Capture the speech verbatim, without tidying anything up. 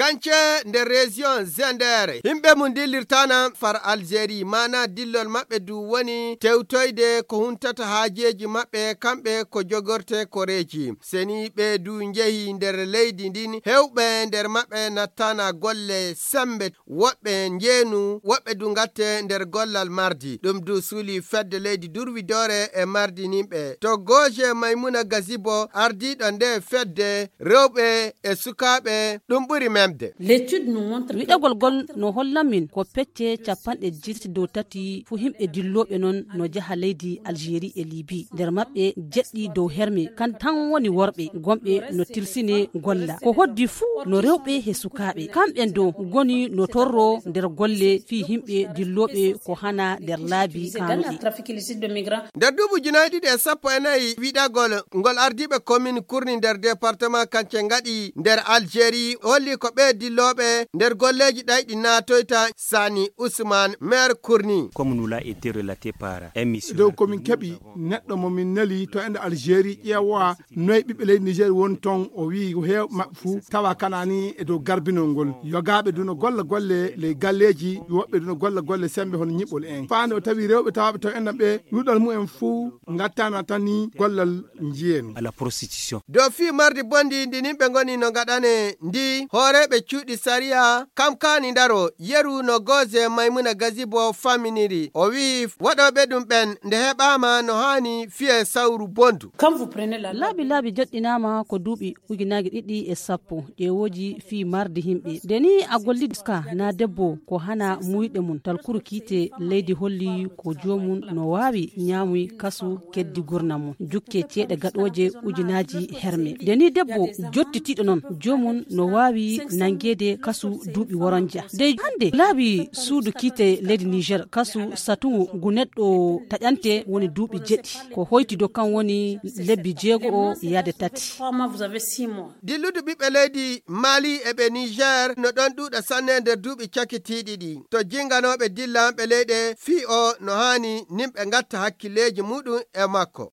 Kance nder région Zender, yimɓe mum dillirtana far Algérie, maana dillol maɓɓe du woni tewtoyde ko huntata haajeeji maɓɓe, kamɓe ko jogorte koreeji. Seni ɓe du njehi nder leydi ndin, hewɓe nder maɓɓe nattana golle sembe, woɓɓe njeenu, woɓɓe du ngatte nder gollal mardi. Ɗum du suuli fedde leydi durwidoore e mardininɓe. To gooje Maymuna Gazibo, ardiiɗo nde fedde, rewɓe e sukaaɓe, ɗum ɓuri memde. L'étude nous montre que wiɗagol gol no hollan min ko pecce capanɗe jeetati dow tati fu himɓe dillooɓe non no jaha leydi Algérie e Libye. Nder maɓɓe jeɗɗi dow herme, kan tan woni worɓe, gomɓe no tilsine golla. Ko hoddi fuu no rewɓe he sukaaɓe. Kamɓen dow goni no torro nder golle fii himɓe dillooɓe ko hana nder laabi kaanuɗi. Nder duuɓi ujunaaji ɗiɗi e sappo e nayi, wiɗagol ngol ardiiɓe komin kurni nder département kance ngaɗi nder Algérie holli ko ɓe dillooɓe nder golleeji ɗayɗi naatoyta. Sani Ousmane, maire kurni. Comme nous l'a été relaté par un missionnaire, dow ko min keɓi neɗɗo mo min neli to ende Algérie ƴeewa noy ɓiɓɓe leydi Niger woni ton, o wi'i ko heew maɓɓe fuu tawa kanani e dow garbinol ngol. Yogaaɓe du no golla golle ley galleeji, woɓɓe du no golla golle sembe hono nyiɓɓol en. Faande o tawi rewɓe tawaaɓe to enɗam ɓe, luɗal mumen fuu ngattana tan ni gollal njiyen. À la prostitution. Dow fii mardi bondi ndi nimɓe ngoni no ngaɗane ndi, hooreeɓe cuuɗi sariya kam kaani ndaro, yeru no gooze Maymuna Gazibo faminiri. O wi'i waɗooɓe ɗum ɓen nde heɓaama no haani fiye sawru bondu. Quand vous prenez la laabi laabi joɗɗinaama ko duuɓi ujunaaji ɗiɗi e sappo, ƴeewooji fii mardi himɓe. Nde ni a gollidi ka na debbo ko hana muyɗe mum, talkuru kiite leydi holli ko joomum no waawi ñaamuy kasu keddi gurna mum, jukke ceeɗe gaɗooje ujunaaji herme. Nde ni debbo jottitiiɗo non, joomum no waawi nangeede kasu duuɓi woronja. Dey hande laabi suudu kiite leydi Niger, kasu satungu ngu neɗɗo taƴante woni duuɓi jeɗɗi. Ko hoytido kan woni lebbi jeego o yaade tati. Dilludu ɓiɓɓe leydi Mali e ɓe Niger no ɗon ɗuuɗa sanne nder duuɓi cakitiiɗi ɗi. To jinganooɓe dillanɓe leyɗe fii o no haani nimɓe ngatta hakkilleeji muɗum e makko.